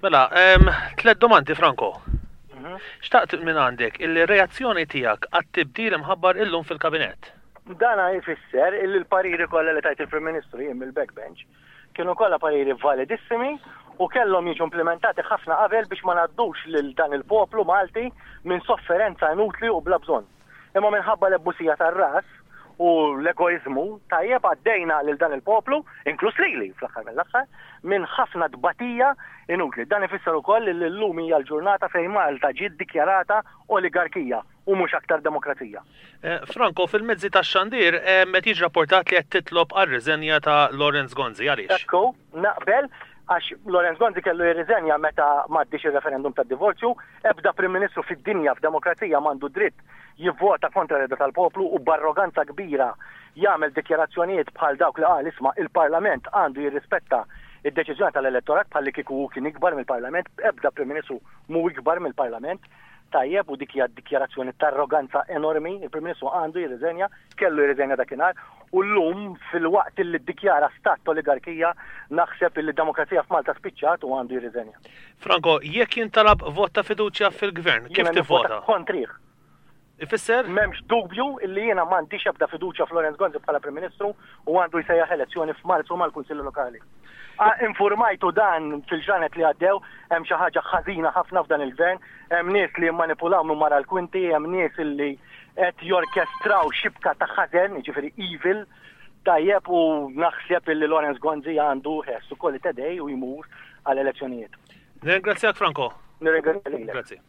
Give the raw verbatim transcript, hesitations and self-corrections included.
Mela, em, tlet domandi, Franco. Xtaqt minn għandek il-reazzjoni tiegħek għat-tibdil imħabbar illum fil-kabinett. Dana jfisser illi l-pariri kollha li tajt il-Prim Ministru jien mill-backbench kienu kollha pariri validissimi u kellhom jiġu implementati ħafna qabel biex ma ngħaddux lil dan il-poplu Malti minn sofferenza inutli u bla bżonn. Imma minħabba l-ebbusija tar-ras u l-egoizmu, tajjeb, għaddejna lil dan il-poplu, inkluż lili fl-aħħar mill-aħħar, minn ħafna tbatija inutli. Dan ifisser ukoll li llum hija l-ġurnata fejn Malta ġiet dikjarata oligarkija u mhux aktar demokrazija. Eh, Franco, fil-mezzi tax-xandir eh, qed jiġi rapportat li qed titlob għar-riżenja ta' Lawrence Gonzi. Għaliex? Ekku, naqbel, għax Lawrence Gonzi kellu jirriżenja meta m'għaddiex il-referendum tad-divorzju. Ebda Prim Ministru fid-dinja f'demokrazija m'għandu dritt jivvota kontra r tal-poplu u b'arroganza kbira jagħmel dikjarazzjonijiet bħal dawk li qal, isma', il-Parlament għandu jirrispetta id-deċiżjoni tal-elettorat, bħal li kieku hu kien ikbar mill-Parlament. Ebda Prim Ministru mhu ikbar mill-Parlament. Tajjeb, u dik hija dikjarazzjoni ta' arroganza enormi. Il-Prim Ministru għandu jirriżenja, kellu jirriżenja dakinhar, u llum, filwaqt li ddikjara stat oligarkija, naħseb li d-demokrazija f'Malta spiċċat u għandu jirriżenja. Franco, jekk jintalab vot ta' fiduċja fil-gvern, kif Jiena nivvota tivvota? kontrih. Ifisser? M'hemmx dubju illi jiena m'għandix ebda fiduċja f'Lawrence Gonzi bħala Prim Ministru u għandu jsejjaħ elezzjoni f'Marzu mal-Kunsilli Lokali. Ah, Informajtu dan fil-ġranet li għaddew, hemm xi ħaġa ħażina ħafna f'dan il-gvern, hemm nies li jimmanipulaw minn wara l-kwinti, hemm nies illi qed jorkestraw xibka ta' ħażen, jiġifieri evil, tajjeb, u naħseb illi Lawrence Gonzi għandu ħessu kolli tedej u jmur għal elezzjonijiet. Nirringrazzjak, Franco. Nirringrazzja lilek. Grazzi.